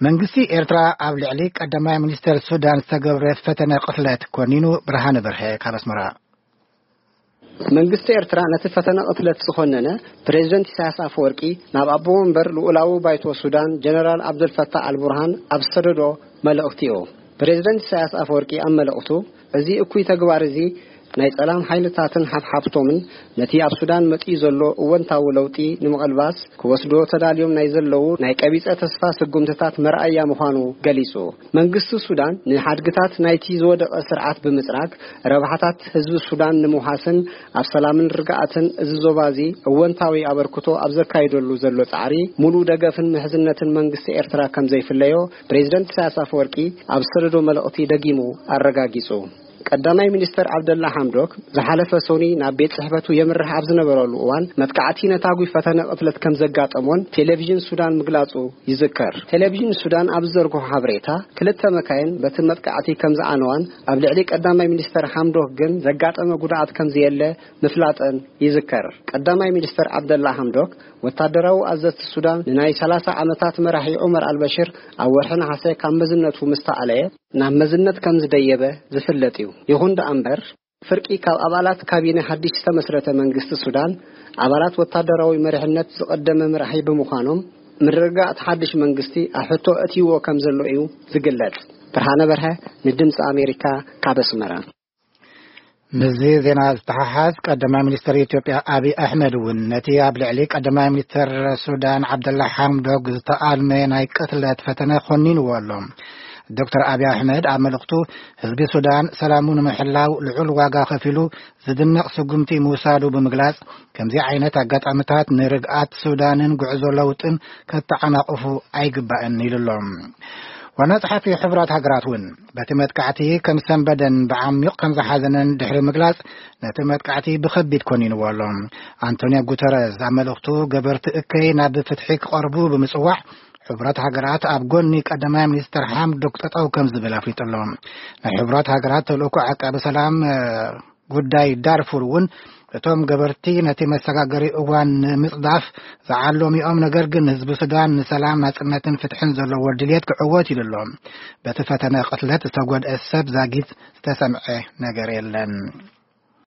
መንግስቲ ኤርትራ ኣብ ልዕሊ ቀዳማይ ሚኒስተር ሱዳን ዝተገብረ ፈተነ ቅትለት ኮኒኑ። ብርሃነ በርሀ ካብ ኣስመራ። መንግስቲ ኤርትራ ነቲ ፈተነ ቅትለት ዝኾነነ ፕሬዝደንት ኢሳያስ ኣፈወርቂ ናብ ኣቦ ወንበር ልኡላዊ ባይቶ ሱዳን ጀነራል ኣብደልፈታሕ ኣልቡርሃን ኣብ ዝሰደዶ መልእኽቲ እዩ። ፕሬዝደንት ኢሳያስ ኣፈወርቂ ኣብ መልእኽቱ፣ እዚ እኩይ ተግባር እዚ ናይ ጸላም ሓይልታትን ሓፍሓፍቶምን ነቲ ኣብ ሱዳን መጺኡ ዘሎ እወንታዊ ለውጢ ንምቕልባስ ክወስዶ ተዳልዮም ናይ ዘለዉ ናይ ቀቢጸ ተስፋ ስጉምትታት መርኣያ ምዃኑ ገሊጹ። መንግስቲ ሱዳን ንሓድግታት ናይቲ ዝወደቐ ስርዓት ብምጽራግ ረብሓታት ህዝቢ ሱዳን ንምውሓስን ኣብ ሰላምን ርግኣትን እዚ ዞባ እዚ እወንታዊ ኣበርክቶ ኣብ ዘካይደሉ ዘሎ ጻዕሪ፣ ሙሉእ ደገፍን ምሕዝነትን መንግስቲ ኤርትራ ከም ዘይፍለዮ ፕሬዝደንት ኢሳያስ ኣፈወርቂ ኣብ ዝሰደዶ መልእኽቲ ደጊሙ ኣረጋጊጹ። ቀዳማይ ሚኒስተር ዓብደላ ሓምዶክ ዝሓለፈ ሶኒ ናብ ቤት ጽሕፈቱ የምርሕ ኣብ ዝነበረሉ እዋን፣ መጥቃዕቲ ነታጒ ፈተነ ቅትለት ከም ዘጋጠሞን ቴሌቪዥን ሱዳን ምግላጹ ይዝከር። ቴሌቪዥን ሱዳን ኣብ ዝዘርግሖ ሓበሬታ፣ ክልተ መካይን በቲ መጥቃዕቲ ከም ዝዓነዋን ኣብ ልዕሊ ቀዳማይ ሚኒስተር ሓምዶክ ግን ዘጋጠመ ጉድኣት ከም ዘየለ ምፍላጠን ይዝከር። ቀዳማይ ሚኒስተር ዓብደላ ሓምዶክ፣ ወታደራዊ ኣዘዝቲ ሱዳን ንናይ ሰላሳ ዓመታት መራሒ ዑመር ኣልበሽር ኣብ ወርሒ ነሓሰ ካብ መዝነቱ ምስ ተኣለየ፣ ናብ መዝነት ከም ዝደየበ ዝፍለጥ እዩ። ይኹን ደኣ እምበር፣ ፍርቂ ካብ ኣባላት ካቢነ ሓድሽ ዝተመስረተ መንግስቲ ሱዳን፣ ኣባላት ወታደራዊ መሪሕነት ዝቐደመ መራሒ ብምዃኖም፣ ምርግጋእ እቲ ሓድሽ መንግስቲ ኣብ ሕቶ ኣእትይዎ ከም ዘሎ እዩ ዝግለጽ። ብርሃነ በርሀ ንድምፂ ኣሜሪካ ካብ ኣስመራ። ምስዚ ዜና ዝተሓሓዝ፣ ቀዳማይ ሚኒስተር ኢትዮጵያ ኣብይ ኣሕመድ እውን ነቲ ኣብ ልዕሊ ቀዳማይ ሚኒስተር ሱዳን ዓብደላ ሓምዶክ ዝተኣልመ ናይ ቅትለት ፈተነ ኮኒንዎ ኣሎ። ዶክተር ኣብይ ኣሕመድ ኣብ መልእኽቱ፣ ህዝቢ ሱዳን ሰላሙ ንምሕላው ልዑል ዋጋ ከፊሉ ዝድነቕ ስጉምቲ ምውሳዱ ብምግላጽ፣ ከምዚ ዓይነት ኣጋጣሚታት ንርግኣት ሱዳንን ጉዕዞ ለውጥን ከተዓናቕፉ ኣይግባእን ኢሉ ኣሎ። ዋና ጸሓፊ ሕቡራት ሃገራት እውን በቲ መጥቃዕቲ ከም ሰንበደን ብዓሚቕ ከም ዝሓዘነን ድሕሪ ምግላጽ፣ ነቲ መጥቃዕቲ ብኸቢድ ኮኒንዎ ኣሎ። ኣንቶኒዮ ጉተረዝ ኣብ መልእኽቱ፣ ገበርቲ እከይ ናብ ፍትሒ ክቐርቡ ብምጽዋዕ፣ ሕቡራት ሃገራት ኣብ ጎኒ ቀዳማይ ሚኒስተር ሓምዶክ ጠጠው ከም ዝብል ኣፍሊጡ ኣሎ። ናይ ሕቡራት ሃገራት ተልእኮ ዓቃቢ ሰላም፣ እ፣ ጉዳይ ዳርፉር እውን፣ እቶም ገበርቲ ነቲ መሰጋገሪ እዋን ንምጽዳፍ ዝዓለሙ እዮም፣ ነገር ግን ህዝቢ ሱዳን ንሰላም፣ ናጽነትን ፍትሕን ዘለዎ ድልየት ክዕወት ኢሉ ኣሎ። በቲ ፈተነ ቅትለት ዝተጎድአ ሰብ ዛጊት ዝተሰምዐ ነገር የለን።